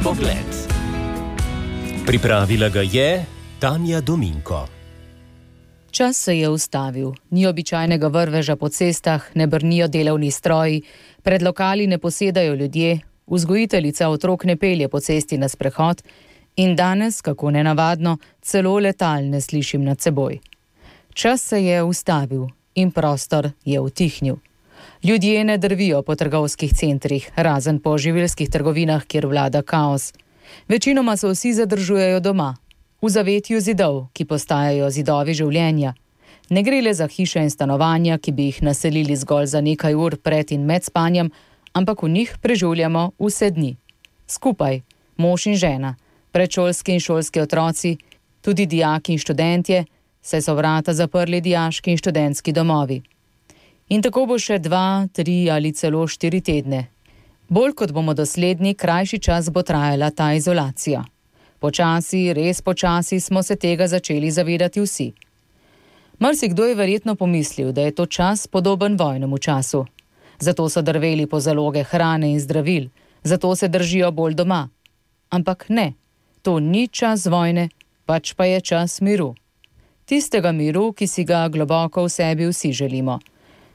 pogled. Pripravila ga je Tanja Dominko. Čas se je ustavil. Ni običajnega vrveža po cestah, ne brnijo delovni stroji, pred lokali ne posedajo ljudje, vzgojiteljica otrok ne pelje po cesti na sprehod in danes, kako nenavadno, celo letal ne slišim nad seboj. Čas se je ustavil in prostor je utihnil. Ljudje ne drvijo po trgovskih centrih, razen po živilskih trgovinah, kjer vlada kaos. Večinoma se vsi zadržujejo doma, v zavetju zidov, ki postajajo zidovi življenja. Ne gre le za hiše in stanovanja, ki bi jih naselili zgolj za nekaj ur pred in med spanjem, ampak v njih preživljamo vse dni. Skupaj, mož in žena, predšolski in šolski otroci, tudi dijaki in študentje, saj so vrata zaprli dijaški in študentski domovi. In tako bo še 2, 3 ali celo 4 tedne. Bolj kot bomo dosledni, krajši čas bo trajala ta izolacija. Počasi, res počasi smo se tega začeli zavedati vsi. Marsikdo je verjetno pomislil, da je to čas podoben vojnemu času. Zato so drveli po zaloge hrane in zdravil, zato se držijo bolj doma. Ampak ne, to ni čas vojne, pač pa je čas miru. Tistega miru, ki si ga globoko v sebi vsi želimo.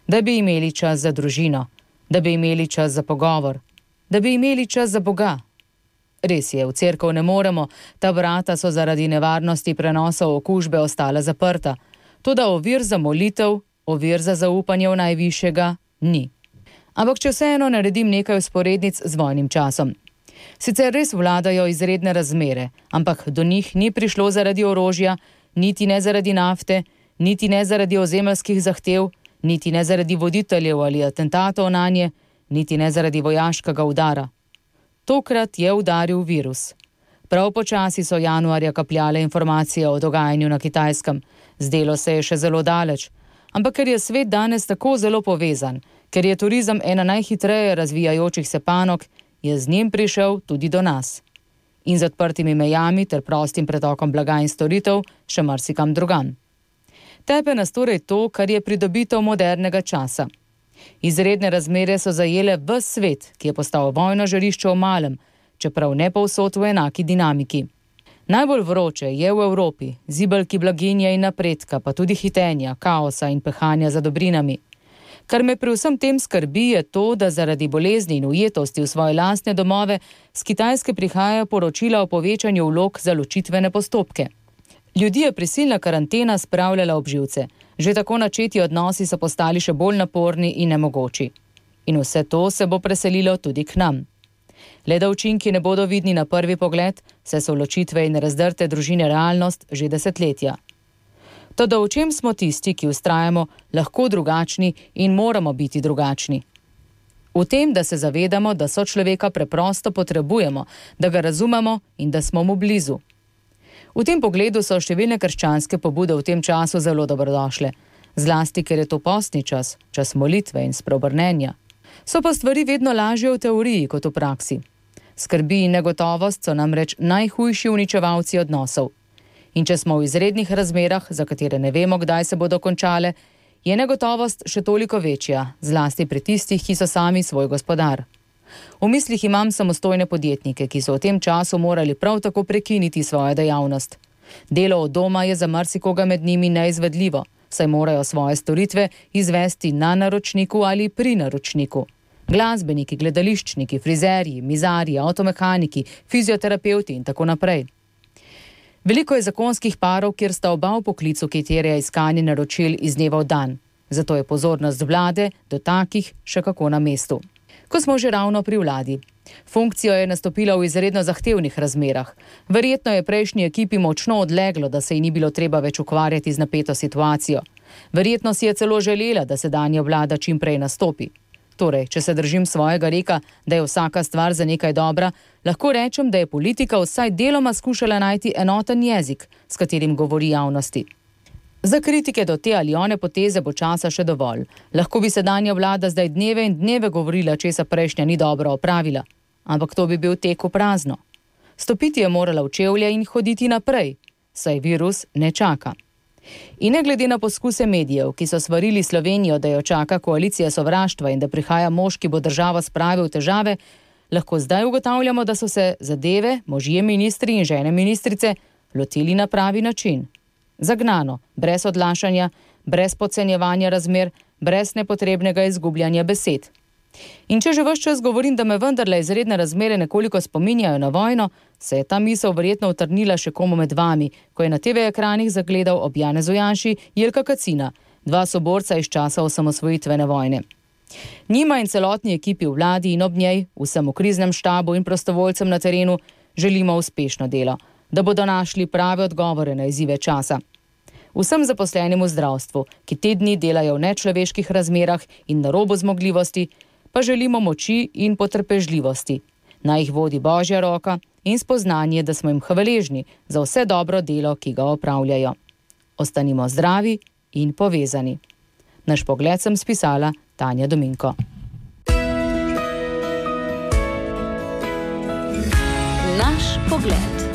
Da bi imeli čas za družino, da bi imeli čas za pogovor, da bi imeli čas za Boga. Res je, v cerkev ne moremo, ta vrata so zaradi nevarnosti prenosov okužbe ostala zaprta. Toda ovir za molitev, ovir za zaupanje v najvišjega ni. Ampak če vseeno naredim nekaj vzporednic z vojnim časom. Sicer res vladajo izredne razmere, ampak do njih ni prišlo zaradi orožja, niti ne zaradi nafte, niti ne zaradi ozemeljskih zahtev, niti ne zaradi voditeljev ali atentatov nanje, niti ne zaradi vojaškega udara. Tokrat je udaril virus. Prav počasi so januarja kapljale informacije o dogajanju na Kitajskem. Zdelo se je še zelo daleč. Ampak ker je svet danes tako zelo povezan, ker je turizem ena najhitreje razvijajočih se panog, je z njim prišel tudi do nas. In z odprtimi mejami ter prostim pretokom blaga in storitev še marsikam drugam. Tepe nas torej to, kar je pridobitev modernega časa. Izredne razmere so zajele ves svet, ki je postal vojno žarišče v malem, čeprav ne povsod v enaki dinamiki. Najbolj vroče je v Evropi, zibelki blaginje in napredka, pa tudi hitenja, kaosa in pehanja za dobrinami. Kar me pri vsem tem skrbi je to, da zaradi bolezni in ujetosti v svoje lastne domove z Kitajske prihajajo poročila o povečanju vlog za ločitvene postopke. Ljudi je prisilna karantena spravljala ob živce. Že tako načeti odnosi so postali še bolj naporni in nemogoči. In vse to se bo preselilo tudi k nam. Le da učinki ne bodo vidni na prvi pogled, saj so ločitve in razdrte družine realnost že desetletja. Toda v čem smo tisti, ki vztrajamo, lahko drugačni in moramo biti drugačni? V tem, da se zavedamo, da sočloveka preprosto potrebujemo, da ga razumemo in da smo mu blizu. V tem pogledu so številne krščanske pobude v tem času zelo dobrodošle, zlasti ker je to postni čas, čas molitve in spreobrnenja. So pa stvari vedno lažje v teoriji kot v praksi. Skrbi in negotovost so namreč najhujši uničevalci odnosov. In če smo v izrednih razmerah, za katere ne vemo, kdaj se bodo končale, je negotovost še toliko večja, zlasti pri tistih, ki so sami svoj gospodar. V mislih imam samostojne podjetnike, ki so v tem času morali prav tako prekiniti svojo dejavnost. Delo od doma je za marsikoga med njimi neizvedljivo, saj morajo svoje storitve izvesti na naročniku ali pri naročniku. Glasbeniki, gledališčniki, frizerji, mizarji, avtomehaniki, fizioterapevti in tako naprej. Veliko je zakonskih parov, kjer sta oba v poklicu, ki terja iskanje naročil iz dneva v dan. Zato je pozornost vlade do takih še kako na mestu. Ko smo že ravno pri vladi. Funkcijo je nastopila v izredno zahtevnih razmerah. Verjetno je prejšnji ekipi močno odleglo, da se ji ni bilo treba več ukvarjati z napeto situacijo. Verjetno si je celo želela, da sedanja vlada čim prej nastopi. Torej, če se držim svojega reka, da je vsaka stvar za nekaj dobra, lahko rečem, da je politika vsaj deloma skušala najti enoten jezik, s katerim govori javnosti. Za kritike do te ali one poteze bo časa še dovolj. Lahko bi sedanja vlada zdaj dneve in dneve govorila, česa prejšnja ni dobro opravila. Ampak to bi bil tek v prazno. Stopiti je morala v čevlje in hoditi naprej, saj virus ne čaka. In ne glede na poskuse medijev, ki so svarili Slovenijo, da jo čaka koalicija sovraštva in da prihaja mož, ki bo državo spravil v težave, lahko zdaj ugotavljamo, da so se zadeve, možje ministri in žene ministrice, lotili na pravi način. Zagnano, brez odlašanja, brez podcenjevanja razmer, brez nepotrebnega izgubljanja besed. In če že ves čas govorim, da me vendarle izredne razmere nekoliko spominjajo na vojno, se je ta misel verjetno utrnila še komu med vami, ko je na TV ekranih zagledal ob Janezu Janši Jelka Kacina, dva soborca iz časa osamosvojitvene vojne. Njima in celotni ekipi v vladi in ob njej, vsem v kriznem štabu in prostovoljcem na terenu, želimo uspešno delo, da bodo našli prave odgovore na izzive časa. Vsem zaposlenim v zdravstvu, ki te dni delajo v nečloveških razmerah in na robu zmogljivosti, pa želimo moči in potrpežljivosti. Naj jih vodi Božja roka in spoznanje, da smo jim hvaležni za vse dobro delo, ki ga opravljajo. Ostanimo zdravi in povezani. Naš pogled sem spisala Tanja Dominko. Naš pogled.